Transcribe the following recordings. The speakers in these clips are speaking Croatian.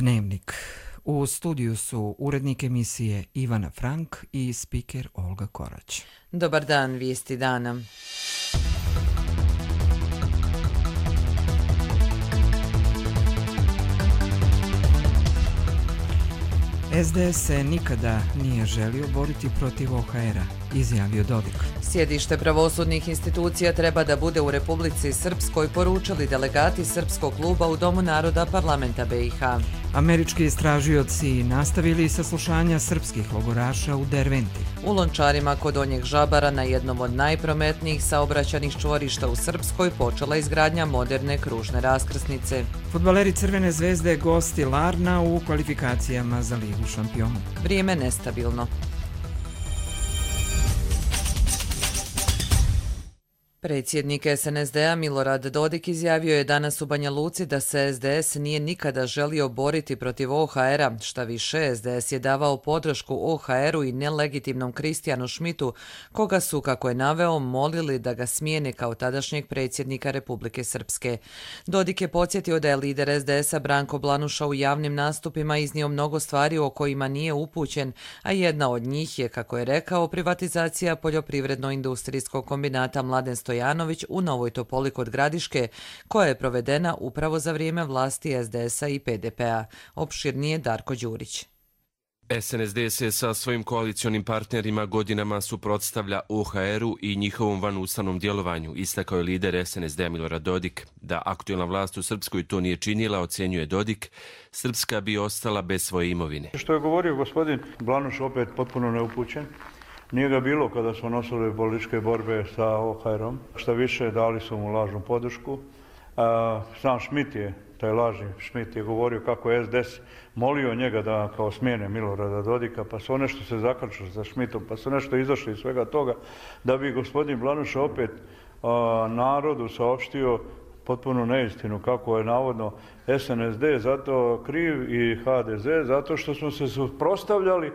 Dnevnik. U studiju su urednik emisije Ivana Frank i spiker Olga Korać. Dobar dan, vijesti dana. SDS se nikada nije želio boriti protiv OHR-a, izjavio Dodik. Sjedište pravosudnih institucija treba da bude u Republici Srpskoj, poručili delegati Srpskog kluba u Domu naroda parlamenta BiH. Američki istražioci nastavili saslušanja srpskih logoraša u Derventi. U Lončarima kod Donjeg Žabara, na jednom od najprometnijih saobraćajnih čvorišta u Srpskoj, počela izgradnja moderne kružne raskrsnice. Fudbaleri Crvene zvezde gosti Larna u kvalifikacijama za Ligu šampiona. Vrijeme nestabilno. Predsjednik SNSD-a Milorad Dodik izjavio je danas u Banja Luci da se SDS nije nikada želio boriti protiv OHR-a, šta više SDS je davao podršku OHR-u i nelegitimnom Kristijanu Šmitu, koga su, kako je naveo, molili da ga smijene kao tadašnjeg predsjednika Republike Srpske. Dodik je podsjetio da je lider SDS-a Branko Blanuša u javnim nastupima iznio mnogo stvari o kojima nije upućen, a jedna od njih je, kako je rekao, privatizacija poljoprivredno-industrijskog kombinata Mladen Stojanović u Novoj Topoli kod Gradiške, koja je provedena upravo za vrijeme vlasti SDS-a i PDP-a. Opširnije Darko Đurić. SNSD se sa svojim koalicionim partnerima godinama suprotstavlja OHR-u i njihovom vanustavnom djelovanju, istakao je lider SNSD-a Milorad Dodik. Da aktuelna vlast u Srpskoj to nije činila, ocjenjuje Dodik, Srpska bi ostala bez svoje imovine. Što je govorio gospodin Blanuš, opet potpuno neupućen. Nije ga bilo kada smo nosili političke borbe sa OHR-om. Šta više, dali su mu lažnu podršku. Sam Šmit je, taj lažni Šmit je govorio kako je SDS molio njega da kao smijene Milorada Dodika, pa su nešto se zakačili sa Šmitom, pa su nešto izašli iz svega toga, da bi gospodin Blanuš opet narodu saopštio potpuno neistinu kako je navodno SNSD zato kriv i HDZ zato što smo se suprotstavljali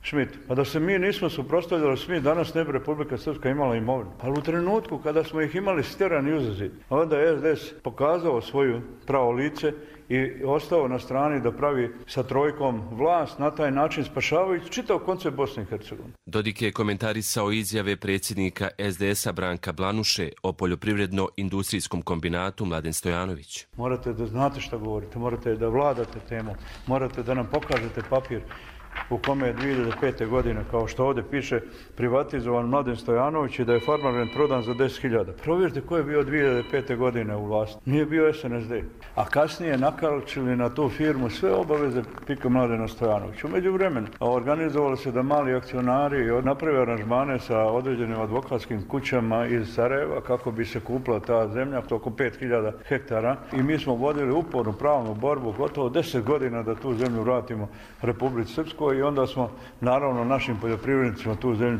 Šmit. Pa da se mi nismo suprotstavljali Šmit, danas ne bi Republika Srpska imala imovinu. Ali u trenutku kada smo ih imali stjerani uzazid, onda je SDS pokazao svoju pravo lice i ostao na strani da pravi sa trojkom vlast, na taj način spašavajući čitav koncept Bosne i Hercegovine. Dodik je komentarisao izjave predsjednika SDS-a Branka Blanuše o poljoprivredno-industrijskom kombinatu Mladen Stojanović. Morate da znate šta govorite, morate da vladate temom, morate da nam pokažete papir u kome je 2005. godine, kao što ovdje piše, privatizovan Mladen Stojanović i da je Farmarend prodan za 10.000. Provjerite ko je bio 2005. godine u vlasti. Nije bio SNSD. A kasnije nakalčili na tu firmu sve obaveze pika Mladena Stojanovića. U međuvremenu organizovali se da mali akcionari naprave aranžmane sa određenim advokatskim kućama iz Sarajeva kako bi se kupila ta zemlja, oko 5.000 hektara. I mi smo vodili upornu pravnu borbu gotovo 10 godina da tu zemlju vratimo Republici Srpskoj. I onda smo, naravno, našim poljoprivrednicima tu zemlju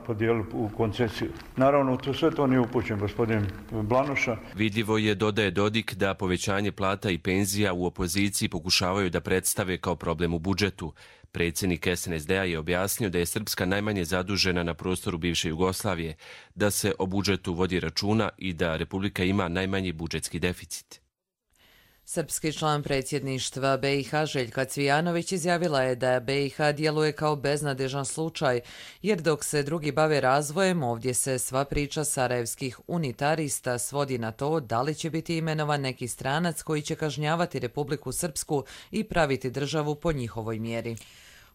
podijelili u koncesiju. Naravno, sve to nije upućen gospodin Blanuša. Vidljivo je, dodaje Dodik, da povećanje plata i penzija u opoziciji pokušavaju da predstave kao problem u budžetu. Predsjednik SNSD-a je objasnio da je Srpska najmanje zadužena na prostoru bivše Jugoslavije, da se o budžetu vodi računa i da Republika ima najmanji budžetski deficit. Srpski član predsjedništva BiH Željka Cvijanović izjavila je da BiH djeluje kao beznadežan slučaj, jer dok se drugi bave razvojem, ovdje se sva priča sarajevskih unitarista svodi na to da li će biti imenovan neki stranac koji će kažnjavati Republiku Srpsku i praviti državu po njihovoj mjeri.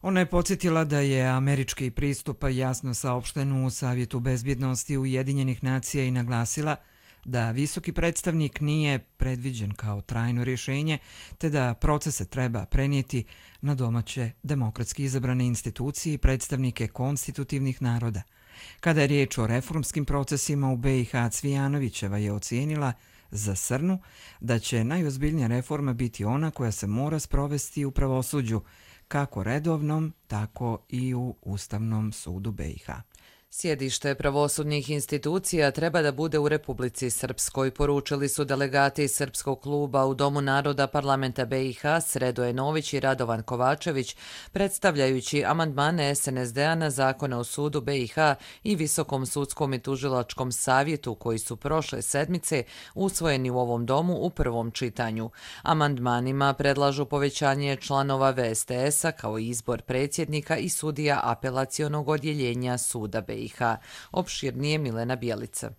Ona je podsjetila da je američki pristup jasno saopšten u Savjetu bezbjednosti Ujedinjenih nacija i naglasila da visoki predstavnik nije predviđen kao trajno rješenje, te da procese treba prenijeti na domaće demokratski izabrane institucije i predstavnike konstitutivnih naroda. Kada je riječ o reformskim procesima u BiH, Cvijanovićeva je ocijenila za Srnu da će najozbiljnija reforma biti ona koja se mora sprovesti u pravosuđu, kako redovnom, tako i u Ustavnom sudu BiH. Sjedište pravosudnih institucija treba da bude u Republici Srpskoj, poručili su delegati Srpskog kluba u Domu naroda parlamenta BiH Sredoje Nović i Radovan Kovačević, predstavljajući amandmane SNSD-a na zakone o sudu BiH i Visokom sudskom i tužilačkom savjetu koji su prošle sedmice usvojeni u ovom domu u prvom čitanju. Amandmanima predlažu povećanje članova VSTS-a kao i izbor predsjednika i sudija apelacionog odjeljenja suda BiH. Opširnije Milena Bjelica.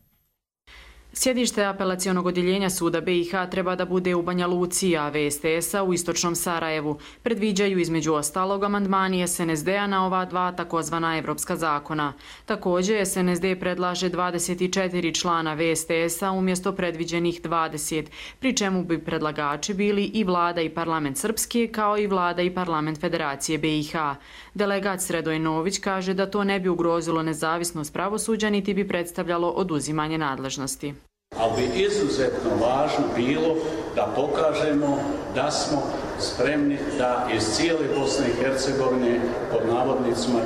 Sjedište apelacionog odjeljenja suda BiH treba da bude u Banja Luci, a VSTS-a u istočnom Sarajevu. Predviđaju između ostalog amandmani SNSD-a na ova dva takozvana evropska zakona. Također, SNSD predlaže 24 člana VSTS-a umjesto predviđenih 20, pri čemu bi predlagači bili i vlada i parlament Srpske kao i vlada i parlament Federacije BiH. Delegat Sredoj Nović kaže da to ne bi ugrozilo nezavisnost pravosuđa niti bi predstavljalo oduzimanje nadležnosti. Ali bi izuzetno važno bilo da pokažemo da smo spremni da iz cijele Bosne i Hercegovine pod navodnicima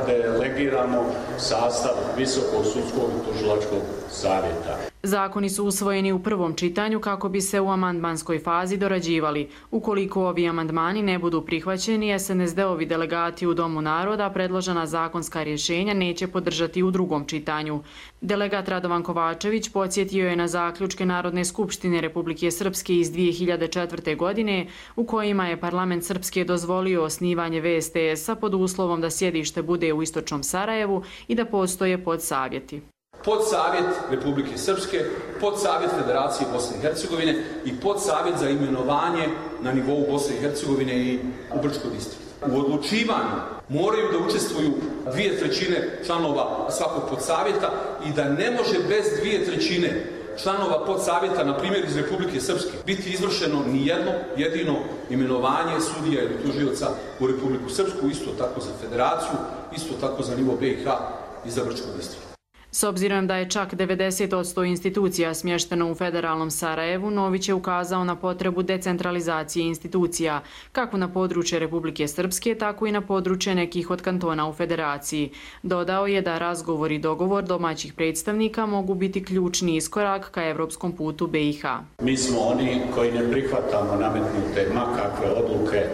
delegiramo sastav Visokog sudskog i tužilačkog savjeta. Zakoni su usvojeni u prvom čitanju kako bi se u amandmanskoj fazi dorađivali. Ukoliko ovi amandmani ne budu prihvaćeni, SNSD-ovi delegati u Domu naroda predložena zakonska rješenja neće podržati u drugom čitanju. Delegat Radovan Kovačević podsjetio je na zaključke Narodne skupštine Republike Srpske iz 2004. godine u kojima je parlament Srpske dozvolio osnivanje VSTS-a pod uslovom da sjedište bude u istočnom Sarajevu i da postoje podsavjeti. Podsavjet Republike Srpske, podsavjet Federacije Bosne i Hercegovine i podsavjet za imenovanje na nivou Bosne i Hercegovine i u Brčkoj distriktu. U odlučivanju moraju da učestvuju 2/3 članova svakog podsavjeta i da ne može bez 2/3 članova podsavjeta, na primjer iz Republike Srpske, biti izvršeno ni jedno jedino imenovanje sudija ili tužioca u Republiku Srpsku, isto tako za Federaciju, isto tako za nivo BiH i za Brčkoj distriktu. S obzirom da je čak 90% institucija smješteno u federalnom Sarajevu, Nović je ukazao na potrebu decentralizacije institucija, kako na područje Republike Srpske, tako i na područje nekih od kantona u federaciji. Dodao je da razgovor i dogovor domaćih predstavnika mogu biti ključni iskorak ka evropskom putu BiH. Mi smo oni koji ne prihvatamo nametnute makakve odluke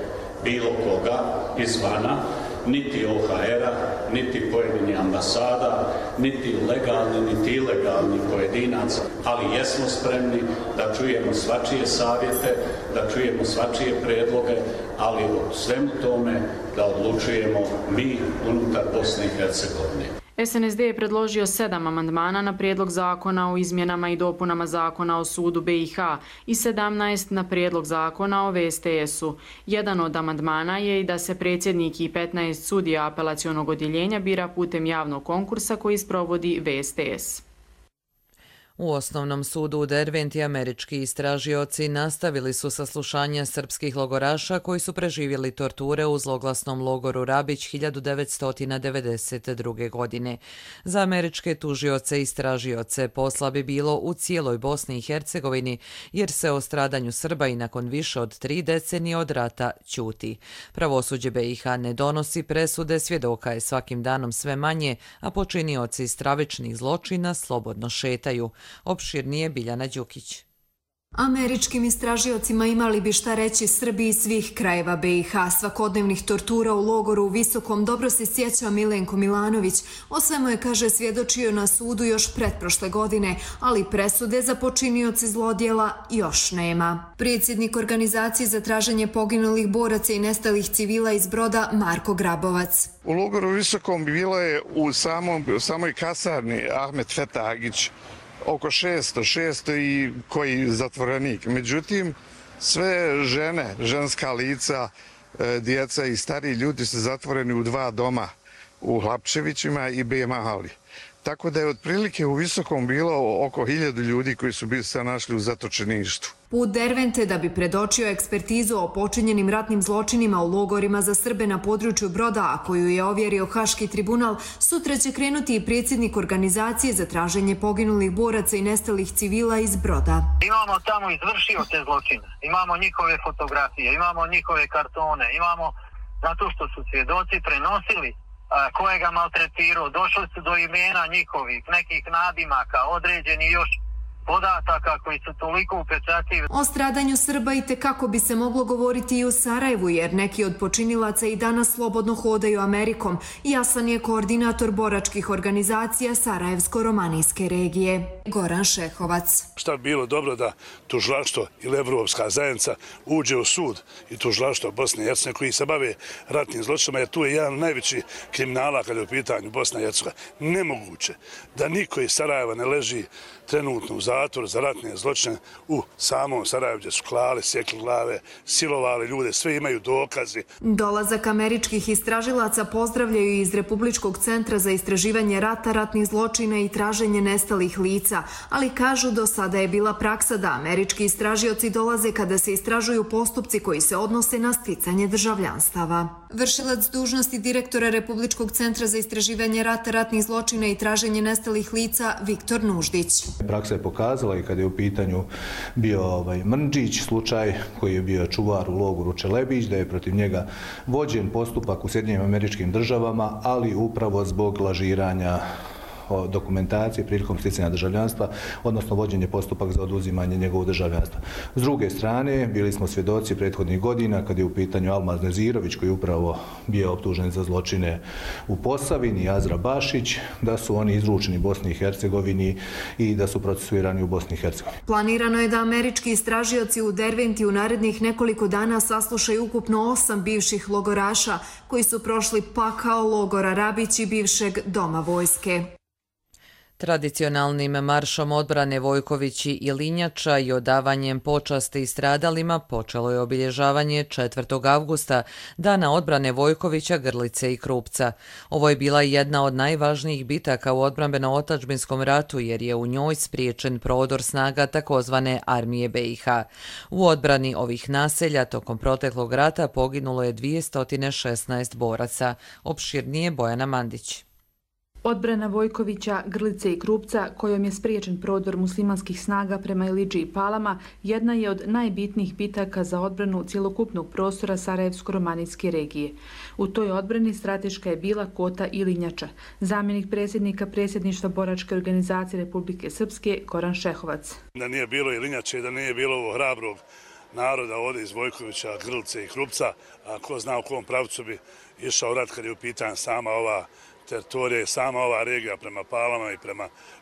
bilo koga izvana, niti OHR-a, niti pojedini ambasada, niti legalni, niti ilegalni pojedinaca, ali jesmo spremni da čujemo svačije savjete, da čujemo svačije predloge, ali o svemu tome da odlučujemo mi unutar Bosne i Hercegovine. SNSD je predložio 7 amandmana na prijedlog zakona o izmjenama i dopunama zakona o sudu BiH i 17 na prijedlog zakona o VSTS-u. Jedan od amandmana je i da se predsjednik i 15 sudija apelacionog odjeljenja bira putem javnog konkursa koji sprovodi VSTS. U Osnovnom sudu u Derventi američki istražioci nastavili su saslušanja srpskih logoraša koji su preživjeli torture u zloglasnom logoru Rabić 1992. godine. Za američke tužioce i istražioce posla bi bilo u cijeloj Bosni i Hercegovini jer se o stradanju Srba i nakon više od 3 decenije od rata ćuti. Pravosuđe BiH ne donosi presude, svjedoka je svakim danom sve manje, a počinioci stravičnih zločina slobodno šetaju. Opširnije Biljana Đukić. Američkim istražiocima imali bi šta reći Srbi iz svih krajeva BiH. Svakodnevnih tortura u logoru u Visokom dobro se sjeća Milenko Milanović. O svemu je, kaže, svjedočio na sudu još pretprošle godine, ali presude za počinioce zlodjela još nema. Predsjednik organizacije za traženje poginulih boraca i nestalih civila iz Broda Marko Grabovac. U logoru u Visokom bilo je u samoj kasarni Ahmet Fetagić oko 600 i koji zatvorenik. Međutim, sve žene, ženska lica, djeca i stariji ljudi su zatvoreni u 2 doma, u Hlapčevićima i Bejmahali. Tako da je otprilike u Visokom bilo oko 1000 ljudi koji su bili se našli u zatočeništvu. Put Dervente da bi predočio ekspertizu o počinjenim ratnim zločinima u logorima za Srbe na području Broda, a koju je ovjerio Haški tribunal, sutra će krenuti i predsjednik organizacije za traženje poginulih boraca i nestalih civila iz Broda. Imamo tamo izvršio te zločine, imamo njihove fotografije, imamo njihove kartone, imamo zato što su svjedoci prenosili ko je ga maltretirao. Došli su do imena njihovih, nekih nadimaka, određeni još podataka koji su toliko upečatljivi. O stradanju Srba i tekako bi se moglo govoriti i u Sarajevu, jer neki od počinilaca i danas slobodno hodaju Amerikom. Jasan je koordinator boračkih organizacija Sarajevsko-romanijske regije, Goran Šehovac. Šta bi bilo dobro da tužilaštvo ili Evropska zajednica uđe u sud i tužilaštvo Bosne i Hercegovine koji se bave ratnim zločinima, jer tu je jedan najveći kriminala kada je u pitanju Bosna i Hercegovina. Nemoguće da niko iz Sarajeva ne leži trenutno u zatvoru za ratne zločine u samom Sarajevu, gdje su klali, sjekli glave, silovali ljude, sve imaju dokazi. Dolazak američkih istražilaca pozdravljaju iz Republičkog centra za istraživanje rata, ratnih zločina i traženje nestalih lica, ali kažu do sada je bila praksa da američki istražioci dolaze kada se istražuju postupci koji se odnose na sticanje državljanstava. Vršilac dužnosti direktora Republičkog centra za istraživanje rata, ratnih zločina i traženje nestalih lica Viktor Nuždić. Praksa je pokazala i kada je u pitanju bio Mrndžić, slučaj koji je bio čuvar u logoru Čelebić, da je protiv njega vođen postupak u Sjedinjenim Američkim Državama, ali upravo zbog lažiranja dokumentacije prilikom sticanja državljanstva, odnosno vođenje postupak za oduzimanje njegovog državljanstva. S druge strane, bili smo svjedoci prethodnih godina kad je u pitanju Almaz Nezirović, koji je upravo bio optužen za zločine u Posavini, Azra Bašić, da su oni izručeni Bosni i Hercegovini i da su procesuirani u Bosni i Hercegovini. Planirano je da američki istražioci u Derventi u narednih nekoliko dana saslušaju ukupno 8 bivših logoraša koji su prošli pakao logora Rabić i bivšeg doma vojske. Tradicionalnim maršom odbrane Vojkovići i Linjača i odavanjem počasti stradalima počelo je obilježavanje 4. avgusta, Dana odbrane Vojkovića, Grlice i Krupca. Ovo je bila jedna od najvažnijih bitaka u odbrambeno-otadžbinskom ratu jer je u njoj spriječen prodor snaga takozvane armije BiH. U odbrani ovih naselja tokom proteklog rata poginulo je 216 boraca. Opširnije Bojana Mandić. Odbrana Vojkovića, Grlice i Krupca, kojom je spriječen prodor muslimanskih snaga prema Ilidži i Palama, jedna je od najbitnijih bitaka za odbranu cjelokupnog prostora Sarajevsko-romanijske regije. U toj odbrani strateška je bila Kota i Linjača. Zamjenik predsjednika predsjedništva boračke organizacije Republike Srpske, Goran Šehovac. Da nije bilo i Linjače i da nije bilo ovo hrabrog naroda ovdje iz Vojkovića, Grlice i Krupca, a ko zna u kom pravcu bi išao rat kad je u pitanju sama ova teritorija i sama ova regija prema Palama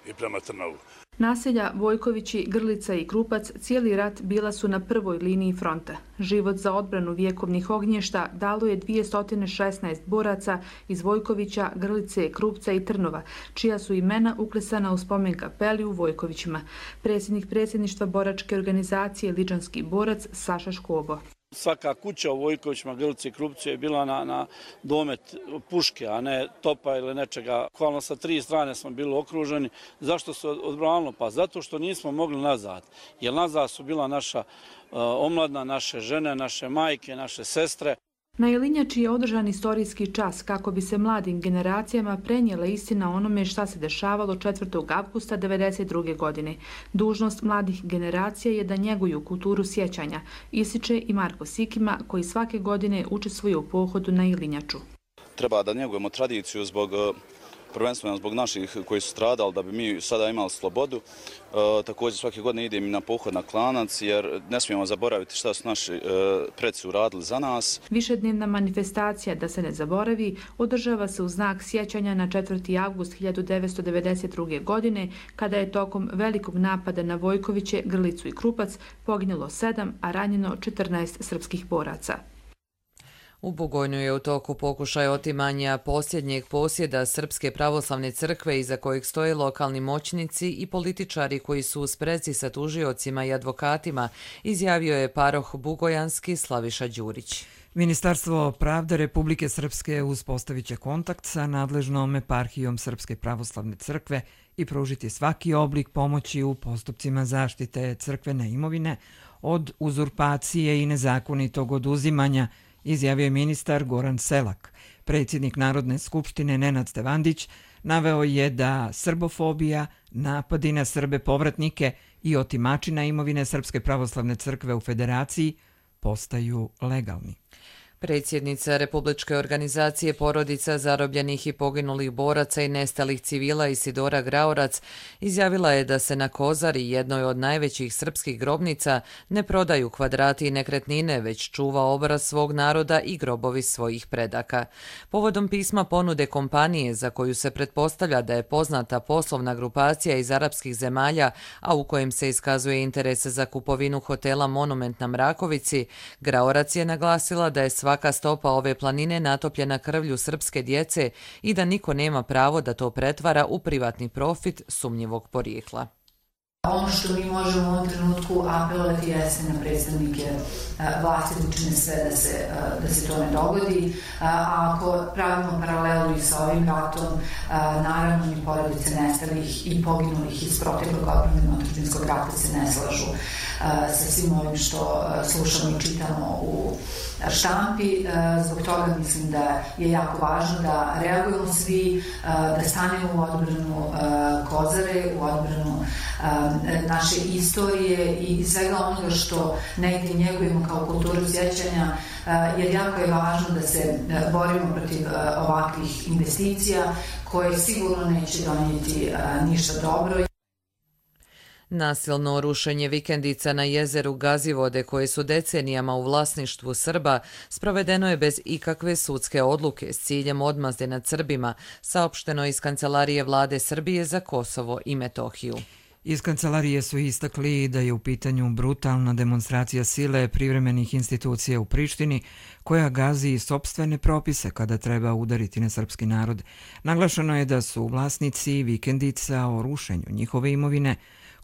i prema Trnovu. Naselja Vojkovići, Grlica i Krupac cijeli rat bila su na prvoj liniji fronta. Život za odbranu vjekovnih ognješta dalo je 216 boraca iz Vojkovića, Grlice, Krupca i Trnova, čija su imena uklesana u spomen kapeli u Vojkovićima. Predsjednik predsjedništva boračke organizacije Ličanski borac Saša Škobo. Svaka kuća u Vojkovićima, Grlici i Krupcu je bila na domet puške, a ne topa ili nečega. Bukvalno sa 3 strane smo bili okruženi. Zašto se odbranilo? Pa zato što nismo mogli nazad. Jer nazad su bila naša omladna, naše žene, naše majke, naše sestre. Na Ilinjači je održan istorijski čas kako bi se mladim generacijama prenijela istina o onome šta se dešavalo 4. avgusta 1992. godine. Dužnost mladih generacija je da njeguju kulturu sjećanja, ističe i Marko Sikima, koji svake godine učestvuje u pohodu na Ilinjaču. Treba da njegujemo tradiciju prvenstveno zbog naših koji su stradali, da bi mi sada imali slobodu. Također svake godine idem i na pohod na Klanac, jer ne smijemo zaboraviti šta su naši preci uradili za nas. Višednevna manifestacija Da se ne zaboravi održava se u znak sjećanja na 4. avgust 1992. godine, kada je tokom velikog napada na Vojkoviće, Grlicu i Krupac poginulo 7, a ranjeno 14 srpskih boraca. U Bugojnu je u toku pokušaj otimanja posljednjeg posjeda Srpske pravoslavne crkve iza kojeg stoje lokalni moćnici i političari koji su u sprezi sa tužiocima i advokatima, izjavio je paroh bugojanski Slaviša Đurić. Ministarstvo pravde Republike Srpske uspostavit će kontakt sa nadležnom eparhijom Srpske pravoslavne crkve i pružiti svaki oblik pomoći u postupcima zaštite crkvene imovine od uzurpacije i nezakonitog oduzimanja, izjavio je ministar Goran Selak. Predsjednik Narodne skupštine Nenad Stevandić naveo je da srbofobija, napadi na Srbe povratnike i otimačina imovine Srpske pravoslavne crkve u Federaciji postaju legalni. Predsjednica Republičke organizacije porodica zarobljenih i poginulih boraca i nestalih civila Isidora Graorac izjavila je da se na Kozari, jednoj od najvećih srpskih grobnica, ne prodaju kvadrati i nekretnine, već čuva obraz svog naroda i grobovi svojih predaka. Povodom pisma ponude kompanije za koju se pretpostavlja da je poznata poslovna grupacija iz arapskih zemalja, a u kojem se iskazuje interes za kupovinu hotela Monument na Mrakovici, Graorac je naglasila da je svaka stopa ove planine natopljena krvlju srpske djece i da niko nema pravo da to pretvara u privatni profit sumnjivog porijekla. Ono što mi možemo u ovom trenutku apelovati jeste na predstavnike vlasti da učine sve da se to ne dogodi. A ako pravimo paralelu i sa ovim ratom, naravno ni porodice nestalih i poginulih iz proteklog odbrambeno-otadžbinskog rata se ne slažu sa svim ovim što slušamo i čitamo u štampi. Zbog toga mislim da je jako važno da reagujemo svi, da stanemo u odbranu Kozare, u odbranu naše istorije i svega onoga što negdje njegujemo kao kulturu sjećanja, jer jako je važno da se borimo protiv ovakvih investicija koje sigurno neće donijeti ništa dobro. Nasilno rušenje vikendica na jezeru Gazivode, koje su decenijama u vlasništvu Srba, sprovedeno je bez ikakve sudske odluke s ciljem odmazde nad Srbima, saopšteno iz Kancelarije vlade Srbije za Kosovo i Metohiju. Iz kancelarije su istakli da je u pitanju brutalna demonstracija sile privremenih institucija u Prištini koja gazi sopstvene propise kada treba udariti na srpski narod. Naglašeno je da su vlasnici vikendica o rušenju njihove imovine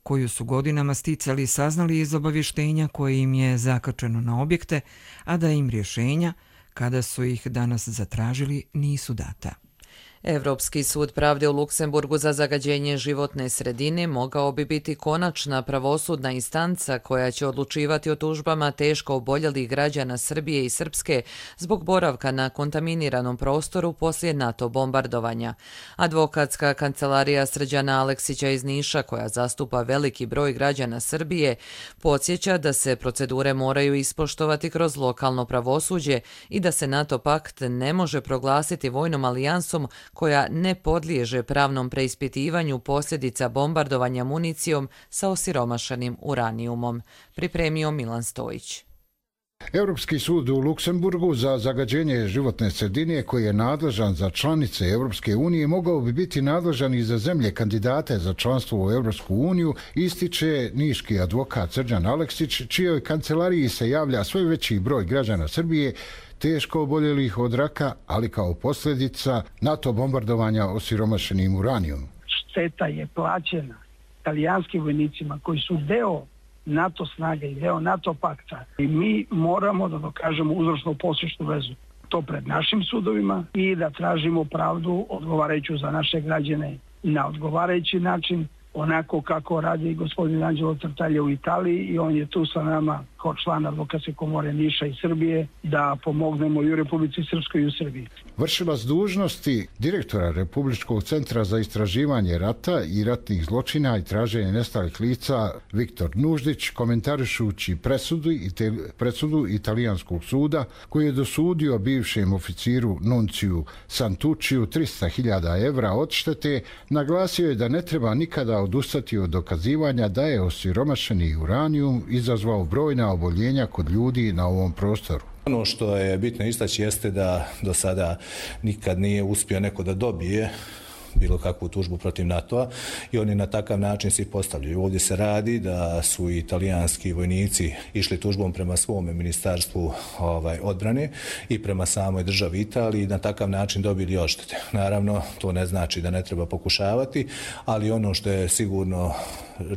koju su godinama sticali saznali iz obavještenja koje im je zakačeno na objekte, a da im rješenja, kada su ih danas zatražili, nisu data. Evropski sud pravde u Luksemburgu za zagađenje životne sredine mogao bi biti konačna pravosudna instanca koja će odlučivati o tužbama teško oboljelih građana Srbije i Srpske zbog boravka na kontaminiranom prostoru poslije NATO bombardovanja. Advokatska kancelarija Srđana Aleksića iz Niša, koja zastupa veliki broj građana Srbije, podsjeća da se procedure moraju ispoštovati kroz lokalno pravosuđe i da se NATO pakt ne može proglasiti vojnom alijansom koja ne podliježe pravnom preispitivanju posljedica bombardovanja municijom sa osiromašenim uranijumom. Pripremio Milan Stojić. Europski sud u Luksemburgu za zagađenje životne sredine, koji je nadležan za članice Europske unije, mogao bi biti nadležan i za zemlje kandidate za članstvo u Europsku uniju, ističe niški advokat Srđan Aleksić, čijoj kancelariji se javlja sve veći broj građana Srbije teško oboljelih od raka, ali kao posljedica NATO bombardovanja osiromašenim uranijom. Šteta je plaćena italijanskim vojnicima koji su deo NATO snage i deo NATO pakta. I mi moramo da dokažemo uzročno-posljedičnu vezu. To pred našim sudovima i da tražimo pravdu odgovarajuću za naše građane na odgovarajući način, onako kako radi gospodin Anđelo Tartaglia u Italiji, i on je tu sa nama kao član advokatske komore Niša i Srbije da pomognemo i u Republici Srpskoj i u Srbiji. Vršilac dužnosti direktora Republičkog centra za istraživanje rata i ratnih zločina i traženje nestalih lica Viktor Nuždić, komentarišući presudu italijanskog suda koji je dosudio bivšem oficiru Nunciju Santucciju 300.000 evra odštete, naglasio je da ne treba nikada odustati od dokazivanja da je osiromašeni uranijum izazvao brojna oboljenja kod ljudi na ovom prostoru. Ono što je bitno istaći jeste da do sada nikad nije uspio neko da dobije bilo kakvu tužbu protiv NATO-a i oni na takav način se postavljaju. Ovdje se radi da su italijanski vojnici išli tužbom prema svome ministarstvu odbrane i prema samoj državi Italiji i na takav način dobili odštete. Naravno, to ne znači da ne treba pokušavati, ali ono što je sigurno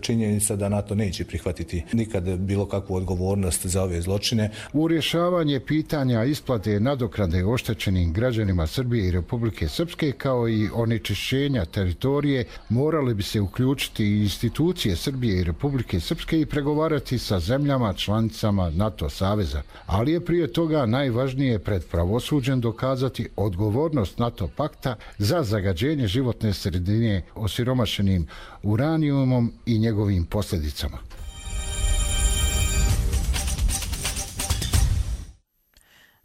činjenica da NATO neće prihvatiti nikad bilo kakvu odgovornost za ove zločine. U rješavanje pitanja isplate nadoknade oštećenim građanima Srbije i Republike Srpske kao i onečišćenja teritorije morali bi se uključiti i institucije Srbije i Republike Srpske i pregovarati sa zemljama članicama NATO saveza. Ali je prije toga najvažnije pred pravosuđem dokazati odgovornost NATO pakta za zagađenje životne sredine osiromašenim uranijumom i njegovim posljedicama.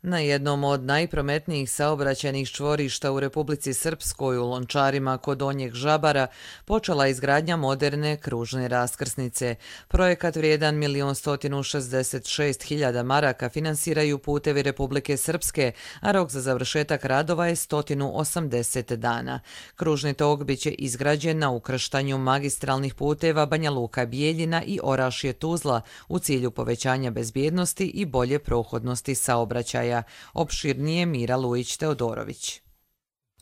Na jednom od najprometnijih saobraćajnih čvorišta u Republici Srpskoj u Lončarima kod Donjeg Žabara počela izgradnja moderne kružne raskrsnice. Projekat vrijedan 1.166.000 maraka finansiraju Putevi Republike Srpske, a rok za završetak radova je 180 dana. Kružni tok biće izgrađen na ukrštanju magistralnih puteva Banja Luka-Bijeljina i Orašje-Tuzla u cilju povećanja bezbjednosti i bolje prohodnosti saobraćaja. Opširnije Mira Lujić-Teodorović.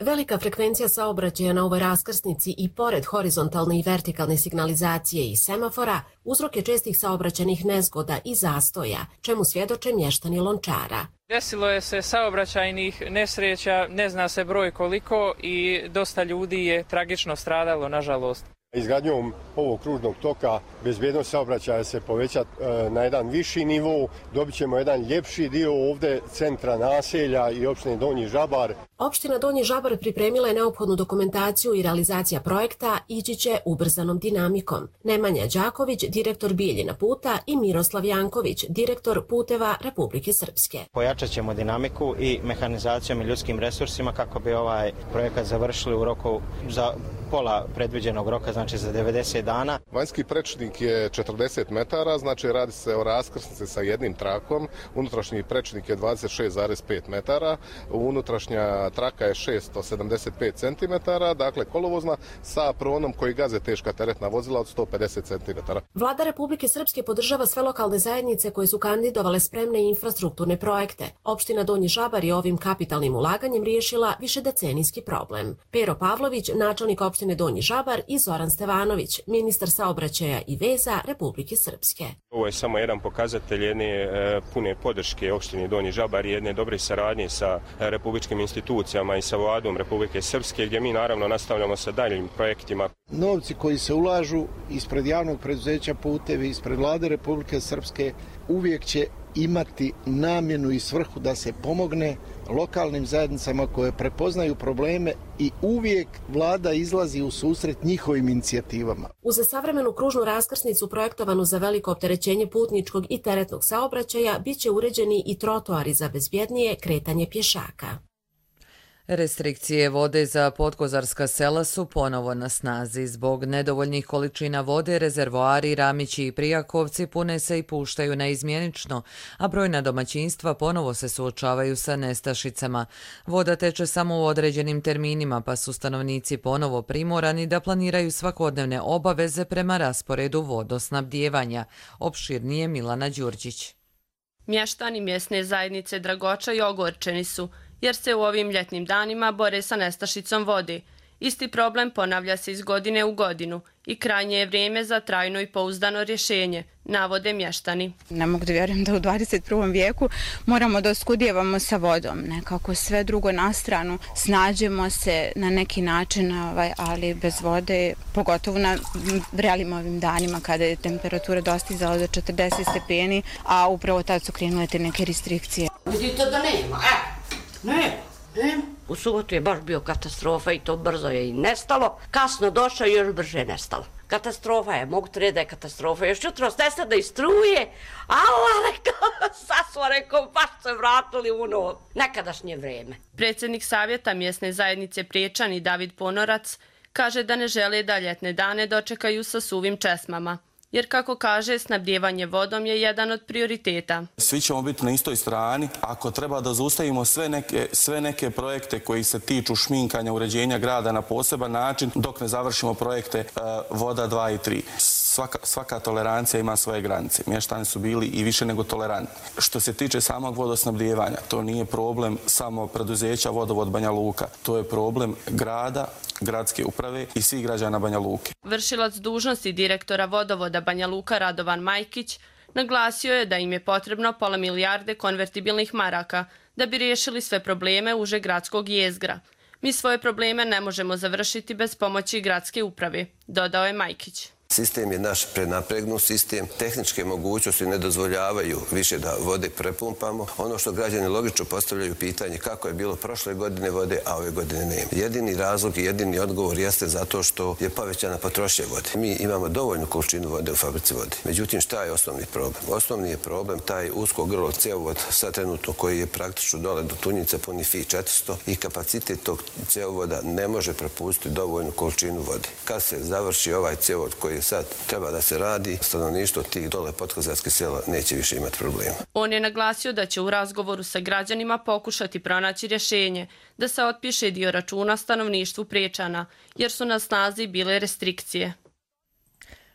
Velika frekvencija saobraćaja na ovoj raskrsnici i pored horizontalne i vertikalne signalizacije i semafora uzrok je čestih saobraćajnih nezgoda i zastoja, čemu svjedoče mještani Lončara. Desilo je se saobraćajnih nesreća, ne zna se broj koliko i dosta ljudi je tragično stradalo, nažalost. Izgradnjom ovog kružnog toka bezbjednost saobraćaja se poveća na jedan viši nivo, dobit ćemo jedan ljepši dio ovdje centra naselja i opštine Donji Žabar. Opština Donji Žabar pripremila je neophodnu dokumentaciju i realizacija projekta ići će ubrzanom dinamikom. Nemanja Đaković, direktor Bijeljina puta i Miroslav Janković, direktor Puteva Republike Srpske. Pojačat ćemo dinamiku i mehanizacijom i ljudskim resursima kako bi ovaj projekat završili u roku za pola predviđenog roka, znači za 90 dana. Vanjski prečnik je 40 metara, znači radi se o raskrsnici sa jednim trakom. Unutrašnji prečnik je 26,5 metara, unutrašnja traka je 675 cm, dakle kolovozna sa pronom koji gaze teška teretna vozila od 150 cm. Vlada Republike Srpske podržava sve lokalne zajednice koje su kandidovale spremne infrastrukturne projekte. Opština Donji Žabar je ovim kapitalnim ulaganjem riješila višedecenijski problem. Pero Pavlović, načelnik opštine Donji Žabar, i Zoran Stevanović, ministar saobraćaja i veza Republike Srpske. Ovo je samo jedan pokazatelj jedne pune podrške opštini Donji Žabar i jedne dobre saradnje sa republičkim institucijama i sa Vladom Republike Srpske, gdje mi naravno nastavljamo sa daljim projektima. Novci koji se ulažu ispred javnog preduzeća Putevi, ispred Vlade Republike Srpske, uvijek će imati namjenu i svrhu da se pomogne lokalnim zajednicama koje prepoznaju probleme i uvijek vlada izlazi u susret njihovim inicijativama. Uz savremenu kružnu raskrsnicu projektovanu za veliko opterećenje putničkog i teretnog saobraćaja biće uređeni i trotoari za bezbjednije kretanje pješaka. Restrikcije vode za podkozarska sela su ponovo na snazi. Zbog nedovoljnih količina vode, rezervoari Ramići i Prijakovci pune se i puštaju neizmjenično, a brojna domaćinstva ponovo se suočavaju sa nestašicama. Voda teče samo u određenim terminima, pa su stanovnici ponovo primorani da planiraju svakodnevne obaveze prema rasporedu vodosnabdijevanja. Opširnije Milana Đurđić. Mještani mjesne zajednice Dragoča i ogorčeni su, jer se u ovim ljetnim danima bore sa nestašicom vode. Isti problem ponavlja se iz godine u godinu i krajnje je vrijeme za trajno i pouzdano rješenje, navode mještani. Ne mogu da vjerujem da u 21. vijeku moramo da oskudijevamo sa vodom, nekako sve drugo na stranu, snađemo se na neki način, ali bez vode, pogotovo na vrelim ovim danima kada je temperatura dostizala do 40 stepeni, a upravo tad su krenule te neke restrikcije. Vidite da nema, Ne. U subotu je baš bio katastrofa i to brzo je i nestalo. Kasno došao i još brže nestalo. Katastrofa je, mogu te reći da je katastrofa. Još jutro nestade i struje. Rekao, baš se vratili u ono nekadašnje vrijeme. Predsjednik savjeta mjesne zajednice Priječani David Ponorac kaže da ne žele da ljetne dane dočekaju sa suvim česmama. Jer, kako kaže, snabdijevanje vodom je jedan od prioriteta. Svi ćemo biti na istoj strani. Ako treba da zaustavimo sve neke projekte koji se tiču šminkanja, uređenja grada na poseban način, dok ne završimo projekte voda 2 i 3. Svaka tolerancija ima svoje granice. Mještani su bili i više nego tolerantni. Što se tiče samog vodosnabdijevanja, to nije problem samo preduzeća Vodovod Banja Luka. To je problem grada, gradske uprave i svih građana Banja Luke. Vršilac dužnosti direktora Vodovoda Banja Luka Radovan Majkić naglasio je da im je potrebno pola milijarde konvertibilnih maraka da bi riješili sve probleme uže gradskog jezgra. Mi svoje probleme ne možemo završiti bez pomoći gradske uprave, dodao je Majkić. Sistem je naš prenapregnut sistem. Tehničke mogućnosti ne dozvoljavaju više da vode prepumpamo. Ono što građani logično postavljaju pitanje kako je bilo prošle godine vode, a ove godine nema. Jedini razlog i jedini odgovor jeste zato što je povećana potrošnja vode. Mi imamo dovoljnu količinu vode u fabrici vode. Međutim, šta je osnovni problem? Osnovni je problem taj usko grlo cjevovod sad trenutno koji je praktično dole do Tunjice puni FI 400 i kapacitet tog cjevovoda ne može propustiti dovoljnu količinu vode. Kad se završi ovaj cjevovod koji sad treba da se radi, stanovništvo tih dole podkozarskih sela neće više imati problema. On je naglasio da će u razgovoru sa građanima pokušati pronaći rješenje da se otpiše dio računa stanovništvu Priječana, jer su na snazi bile restrikcije.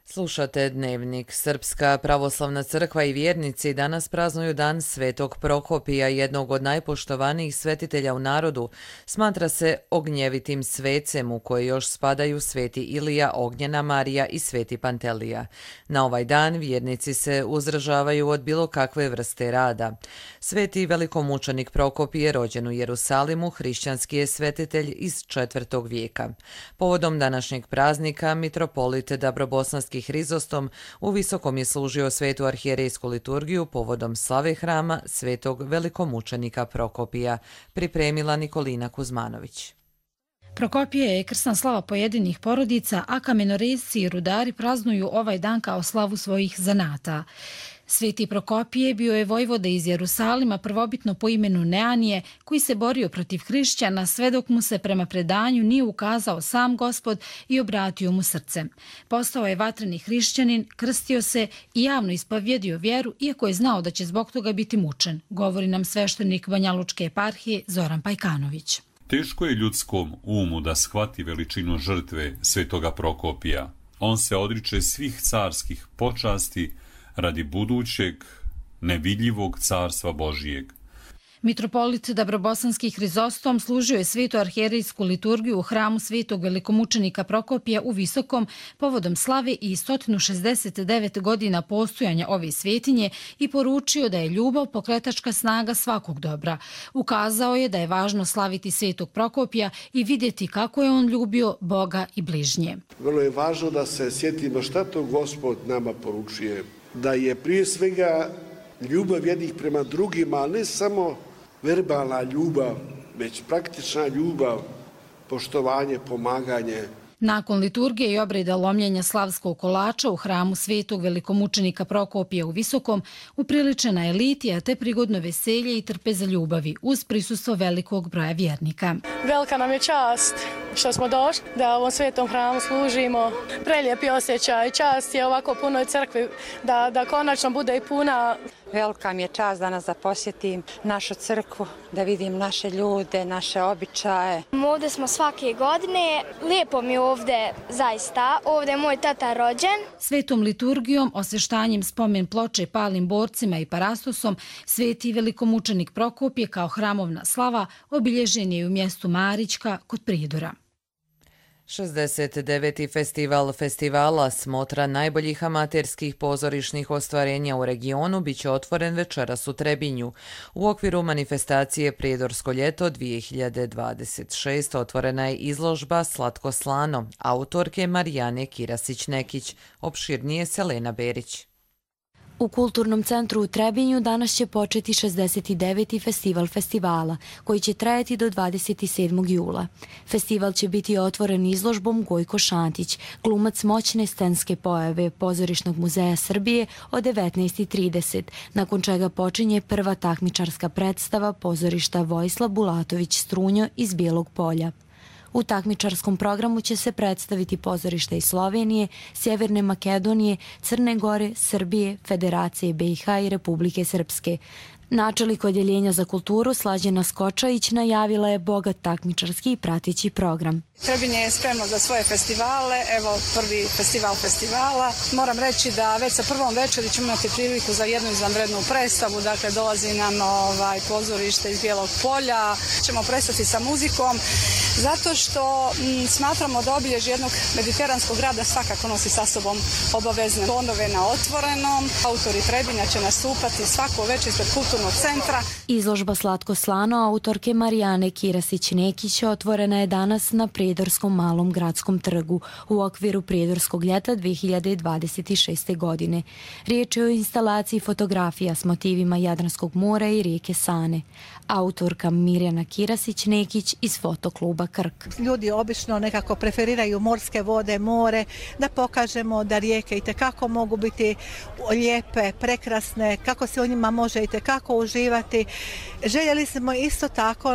Slušate Dnevnik. Srpska pravoslavna crkva i vjernici danas praznuju dan Svetog Prokopija, jednog od najpoštovanijih svetitelja u narodu. Smatra se ognjevitim svecem u koji još spadaju Sveti Ilija, Ognjena Marija i Sveti Pantelija. Na ovaj dan vjernici se uzdržavaju od bilo kakve vrste rada. Sveti velikomučenik Prokopije, rođen u Jerusalimu, hrišćanski je svetitelj iz 4. vijeka. Povodom današnjeg praznika mitropolit Dabrobosanski Hrizostom u Visokom je služio svetu arhijerejsku liturgiju povodom slave hrama svetog velikomučenika Prokopija, pripremila Nikolina Kuzmanović. Prokopije je krsna slava pojedinih porodica, a kamenorezci i rudari praznuju ovaj dan kao slavu svojih zanata. Sveti Prokopije bio je vojvoda iz Jerusalima, prvobitno po imenu Neanije, koji se borio protiv hrišćana sve dok mu se prema predanju nije ukazao sam Gospod i obratio mu srce. Postao je vatreni hrišćanin, krstio se i javno ispovjedio vjeru, iako je znao da će zbog toga biti mučen, govori nam sveštenik Banjalučke eparhije Zoran Pajkanović. Teško je ljudskom umu da shvati veličinu žrtve svetoga Prokopija. On se odriče svih carskih počasti radi budućeg, nevidljivog carstva Božijeg. Mitropolit Dabrobosanski Hrizostom služio je svetu arhijerejsku liturgiju u hramu svetog velikomučenika Prokopija u Visokom povodom slave i 169 godina postojanja ove svetinje i poručio da je ljubav pokretačka snaga svakog dobra. Ukazao je da je važno slaviti svetog Prokopija i vidjeti kako je on ljubio Boga i bližnje. Vrlo je važno da se sjetimo šta to Gospod nama poručuje. Da je prije svega ljubav jednih prema drugima, ali ne samo verbalna ljubav, već praktična ljubav, poštovanje, pomaganje. Nakon liturgije i obreda lomljenja slavskog kolača u hramu svetog velikomučenika Prokopija u Visokom upriličena je litija te prigodno veselje i trpeza ljubavi uz prisustvo velikog broja vjernika. Velika nam je čast što smo došli da u ovom svetom hramu služimo. Prelijepi osjećaj, čast je ovako punoj crkvi da konačno bude i puna. Velika mi je čast danas da posjetim našu crkvu, da vidim naše ljude, naše običaje. Ovdje smo svake godine, lijepo mi je ovdje zaista, ovdje je moj tata rođen. Svetom liturgijom, osveštanjem spomen ploče palim borcima i parastosom, sveti velikomučenik Prokopije kao hramovna slava obilježen je u mjestu Marićka kod Prijedora. 69. festival festivala smotra najboljih amaterskih pozorišnih ostvarenja u regionu biće otvoren večeras u Trebinju. U okviru manifestacije Prijedorsko ljeto 2026 otvorena je izložba Slatko slano, autorke Marijane Kirasić-Nekić, opširnije Selena Berić. U Kulturnom centru u Trebinju danas će početi 69. festival festivala, koji će trajati do 27. jula. Festival će biti otvoren izložbom Gojko Šantić, glumac moćne scenske pojave Pozorišnog muzeja Srbije od 19:30, nakon čega počinje prva takmičarska predstava pozorišta Vojislav Bulatović Strunjo iz Bijelog Polja. U takmičarskom programu će se predstaviti pozorišta iz Slovenije, Sjeverne Makedonije, Crne Gore, Srbije, Federacije BiH i Republike Srpske. Načelnik odjeljenja za kulturu Slađena Skočajić najavila je bogat takmičarski i prateći program. Trebinje je spremno za svoje festivale, evo prvi festival festivala. Moram reći da već sa prvom večeri ćemo imati priliku za jednu izvanrednu predstavu, dakle dolazi nam pozorište iz Bijelog Polja, ćemo prestati sa muzikom, zato što smatramo da obilježje jednog mediteranskog grada svakako nosi sa sobom obavezne tonove na otvorenom. Autori Trebinja će nastupati svako večer ispred kulturnog kulturnog centra. Izložba Slatko slano autorke Marijane Kirasić-Nekić otvorena je danas na Prijedorskom malom gradskom trgu u okviru Prijedorskog ljeta 2026. godine. Riječ je o instalaciji fotografija s motivima Jadranskog mora i rijeke Sane. Autorka Mirjana Kirasić-Nekić iz fotokluba Krk. Ljudi obično nekako preferiraju morske vode, more, da pokažemo da rijeke itekako mogu biti lijepe, prekrasne, kako se u njima može itekako uživati. Željeli smo isto tako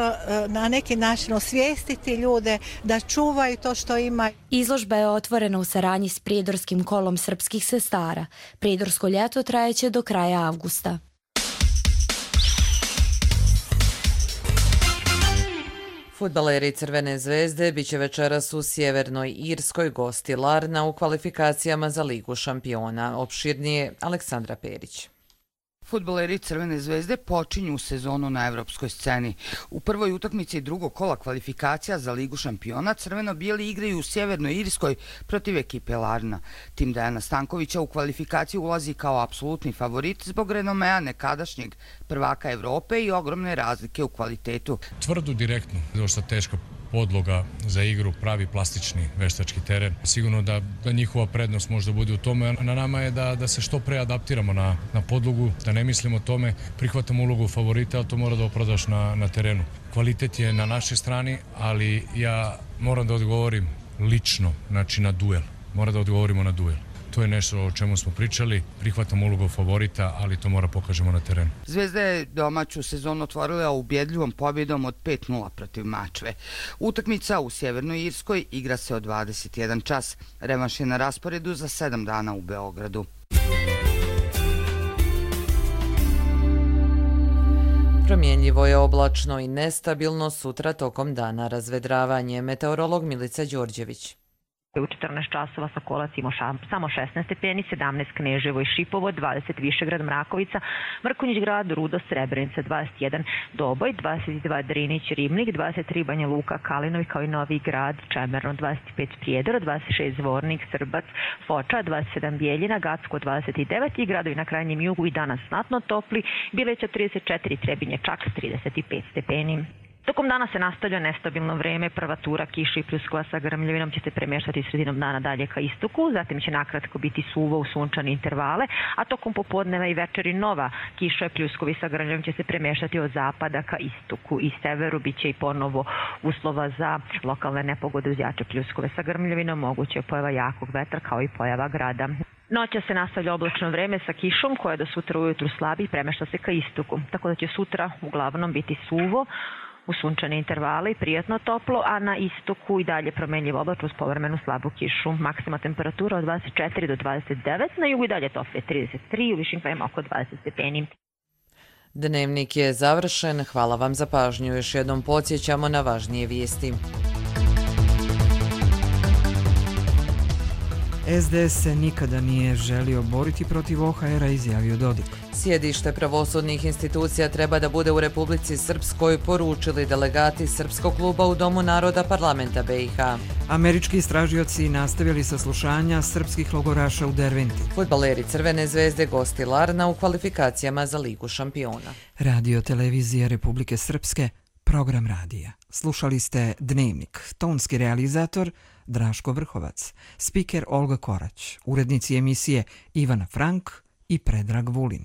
na neki način osvijestiti ljude da čuvaju to što imaju. Izložba je otvorena u saradnji s Prijedorskim kolom srpskih sestara. Prijedorsko ljeto trajeće do kraja avgusta. Fudbaleri Crvene zvezde biće večeras u Sjevernoj Irskoj gosti Larna u kvalifikacijama za Ligu šampiona. Opširnije Aleksandra Perić. Fudbaleri Crvene zvezde počinju sezonu na evropskoj sceni. U prvoj utakmici drugog kola kvalifikacija za Ligu šampiona crveno-bijeli igraju u Sjevernoj Irskoj protiv ekipe Larna. Tim Dejana Stankovića u kvalifikaciju ulazi kao apsolutni favorit zbog renomea nekadašnjeg prvaka Evrope i ogromne razlike u kvalitetu. Tvrdu, direktno, dosta teška podloga za igru, pravi plastični veštački teren. Sigurno da njihova prednost možda bude u tome. Na nama je da se što pre adaptiramo na podlogu, da ne mislimo o tome, prihvatamo ulogu favorita, ali to mora da opravdaš na terenu. Kvalitet je na našoj strani, ali ja moram da odgovorim lično, znači na duel. Mora da odgovorimo na duel. To je nešto o čemu smo pričali, prihvatamo ulogu favorita, ali to mora pokažemo na terenu. Zvezda je domaću sezonu otvorila ubjedljivom pobjedom od 5-0 protiv Mačve. Utakmica u Sjevernoj Irskoj igra se od 21 čas. Revanš je na rasporedu za 7 dana u Beogradu. Promjenljivo je, oblačno i nestabilno, sutra tokom dana razvedravanje. Meteorolog Milica Đorđević. U 14 časova Sokolac ima samo 16 stepeni, 17 Kneževo i Šipovo, 20 Višegrad, Mrakovica, Mrkonjić grad, Rudo, Srebrenica, 21 Doboj, 22 Drinić, Ribnik, 23 Banja Luka, Kalinovi kao i Novi grad, Čemerno, 25 Prijedor, 26 Zvornik, Srbac, Foča, 27 Bijeljina, Gacko, 29 i gradovi na krajnjem jugu i danas znatno topli, Bileća 34, Trebinje čak 35 stepeni. Tokom dana se nastavlja nestabilno vreme, prva tura kiša i pljuskova sa grmljavinom će se premještati sredinom dana dalje ka istoku, zatim će nakratko biti suvo u sunčane intervale, a tokom popodneva i večeri nova kiša i pljuskovi sa grmljavinom će se premještati od zapada ka istoku i severu, bit će i ponovo uslova za lokalne nepogode uz jače pljuskove sa grmljavinom, moguće je pojava jakog vetra kao i pojava grada. Noća se nastavlja oblačno vreme sa kišom koja do sutra ujutru slabi i premješta se ka istoku, tako da će sutra uglavnom biti suvo, u sunčane intervale i prijatno toplo, a na istoku i dalje promenljivo oblačno uz povremenu slabu kišu. Maksima temperatura od 24 do 29, na jugu i dalje toplije 33, u višim krajima oko 20 stepeni. Dnevnik je završen. Hvala vam za pažnju. Još jednom podsjećamo na važnije vijesti. SDS se nikada nije želio boriti protiv OHR-a, izjavio Dodik. Sjedište pravosudnih institucija treba da bude u Republici Srpskoj, poručili delegati Srpskog kluba u Domu naroda parlamenta BiH. Američki istražioci nastavili saslušanja srpskih logoraša u Derventi. Fudbaleri Crvene zvezde gosti Larna u kvalifikacijama za Ligu šampiona. Radio televizija Republike Srpske, program radija. Slušali ste Dnevnik, tonski realizator Draško Vrhovac, spiker Olga Korać, urednici emisije Ivana Frank i Predrag Vulin.